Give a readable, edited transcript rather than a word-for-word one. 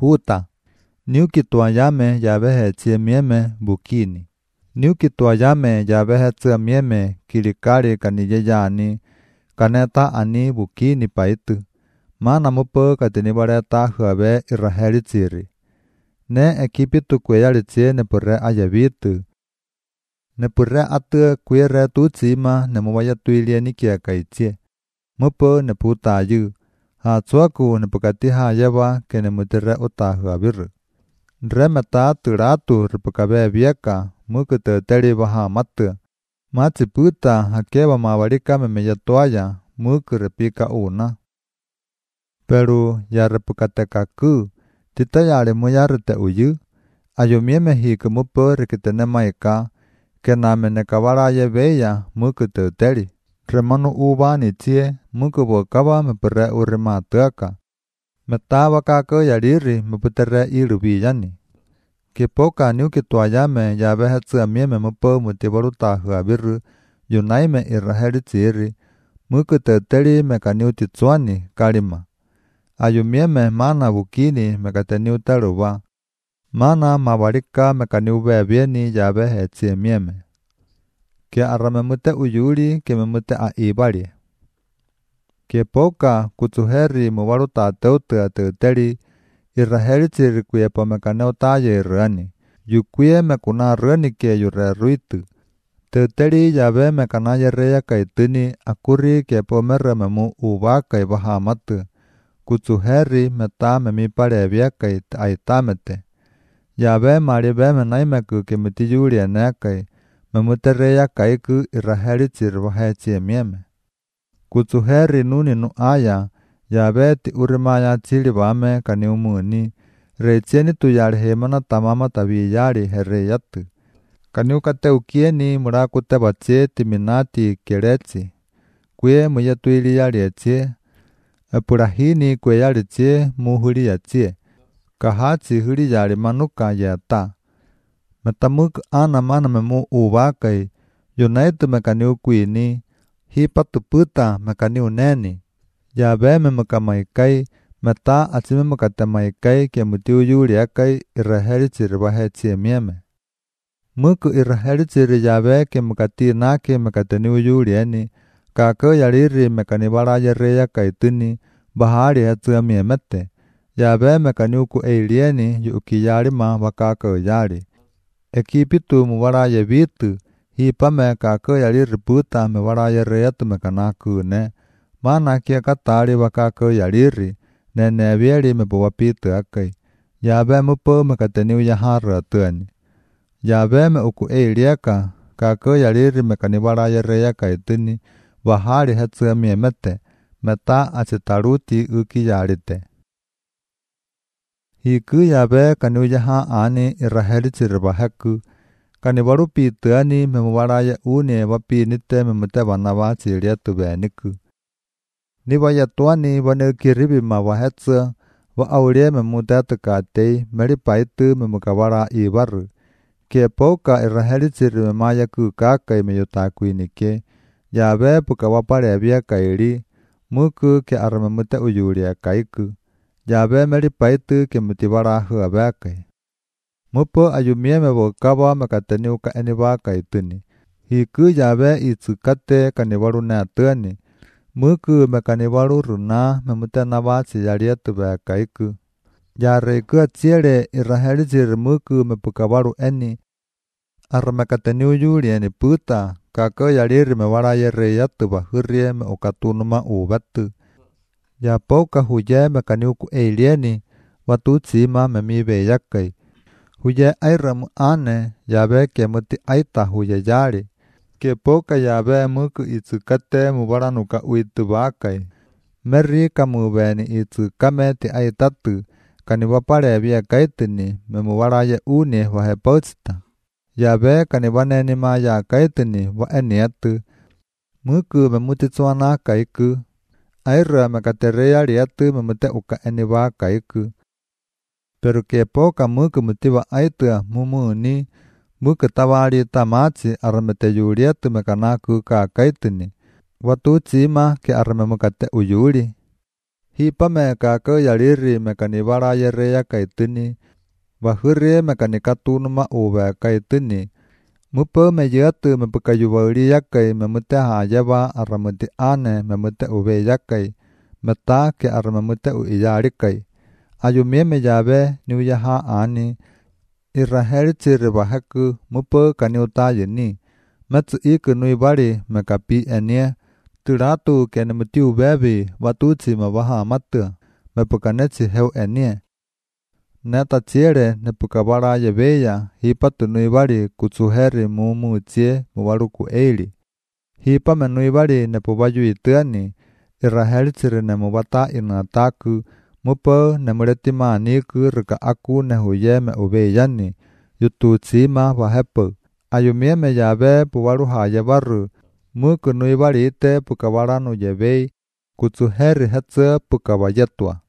huta. Niuki tuayame yabehe chiemieme bukini. Niuki tuayame yabehe chiemieme kilikari kaniyeyani kaneta ani bukini paitu. Mana mupo katinibareta huabe Israeli chiri. Ne ekipitu kweyalichie nepure ayabitu. Nepure atu kwere tuchima nemubaya tuilie nikiakaichie. Mupo neputayu. Hatsuaku nepukatiha yeba kenemutire utahuabiru. Nremeta turatu ripukabe bieka muku teteri baha matu. Machiputa hakeba mabarika memeyatuaya muku repika una. Pero ya repukatekaku titayare muyarite uyu. Ayomieme hiku mupo rikitene maika kenamene kabaraye beya muku teteri. Remanu ubani chie muku bokaba mepere urimatuaka. Metaba kako yariri meputere irubiyani. Kipoka niuki tuayame yabehe tsiamieme mupo mutibaruta huabiru yunaime Israeli chiri muku teteri mekaniu titsuani kalima. Ayumieme mana bukini mekateniu taruba. Mana mabarika mekaniu bebieni yabehe tsiamieme. Ke aramemute uyuri ke memute aibari. Ke poka kutsuheri mubaruta teutu teteri Israeli chiri kuyepa mekaneu taye irani. Yukuye mekuna rani ke yure ruitu. Teteri yabe mekana yereya kaitini akuri ke pomere memu ubaka ibahamatu. Kutsuheri meta memipare biakai aitamete. Yabe maribe menaimeku ke mitiyuri enekai. Memutereya kaiku Israeli chiri bahe chiemieme. Kutsuheri nuni nu aya. Yabe ti urimaya chiri bame kaniumuni. Reichieni tuyari hemana tamama tabiyari hereyatu. Kaniukate ukieni murakute bache timinati kerechi. Kwe muyatuili yari echie. Epurahini kwe yari chie muhuri yachie. Kahachi huri yari manuka yata. Metamuk ana mana memu ubakai. Yunaitu mekaniu kuini. Hipatu puta mekaniu neni. Yabe memukamaikai. Meta achimemukatemaikai ke mutiu yuri akai Israeli chiri bahe chiemieme. Muku Israeli chiri yabe ke mukati nake mekateniu yuri eni. Kako yariri mekanibara yereya kaituni bahari hetsuamiemete. Yabe mekaniu ku eilieni yukiyarima bakako yari. Ekipitu mubara yebitu. Hipame kako yariri puta mebara yereyatu mekanaku ne. Mana kia katari bakako yariri. Nene bieri mebuwapitu akai. Yabe mupo mekateniu yahara tuani. Yabe me uku eilieka. Kako yariri mekanibara yereya kaituni. Bahari hetsuamiemete. Meta achitaruti uki yarite. Hiku yabe kaniu yaha ani Israeli chiri baheku. Kanibaru pituani memubaraye uni wapinite memute banaba chirietu beniku. Nibaya tuani banekiribi mawahetsa wa aulie memutatu katei meripaitu memukabara ibaru. Ke poka Israeli chiri memaya kukakai meyutakuinike. Yabe pukawapare bia kairi. Muku ke aramemute uyuria kaiku. Yabe meripaitu ke mutibara huabekai. Mupo ayumieme bokaba mekateniu ka eniba kaituni. Hiku yabe itsukate kanibaru natuani. Muku mekanibaru runa memutenaba chiyarietu kaiku. Yareiku achiere Israeli chiri muku mepukabaru eni. Aramekateniu yuri eni puta. Kako yariri mebara yereyatu bahurie me ukatunuma ubatu. Yapoka huye mekaniu ku eilieni. Watu chima memibe yakai. Huye airamu ane yabe ke muti aita huye yari. Ke poka yabe muku itsukate mubaranuka uitu bakai. Meri kamubeni itsukame ti aitatu. Kanibapare bia kaitini memubaraye uni wahepochita. Yabe kanibaneni maya kaitini wa eniatu. Muku memutitsuana kaiku. Aira mekatereya riatu memute uka eniba kaiku. Pero ke poka muku mutiba aitua mumuni. Muku tawari tamachi aramete yuriatu mekanaku ka kaitini. Watu chima ke aramemukate uyuri. hi pa me ka ke yaliri me kanibara yere ya kaitini và hứa mà cái này cá tu nó mà ổ về cái tên này mới bơ mà giờ từ mà bực cái vợ đi giác cái mà mới ta hà giá ba ở mà ti anh này mà mới ta ổ về giác cái mà ta cái ở mà mới ta ổ giá đi cái ayo mà giờ về nếu giờ ha anh này Israel chỉ rồi bà hắc cứ mới bơ cái nhiều ta vậy nè mà chỉ ý cái nuôi bà đi mà cái pi anh nè từ đó tu cái này mới tiêu về vì và tu chỉ mà bà ha mất tưởng mà bực cái này chỉ heo anh nè Neta chiere ne pukabara yebeya hipa tunuibari kutsuheri mumu chie mubaruku eili. Hipa menuibari ne pubayu ituani Israel chire ne mubata inataku mupo ne muretima niku rika aku ne huye me ubeyani yutu chima wahepu. Ayumie me yabe pubaru hayebaru mu kunuibari ite pukabara no yebei kutsuheri hetze pukabayetua.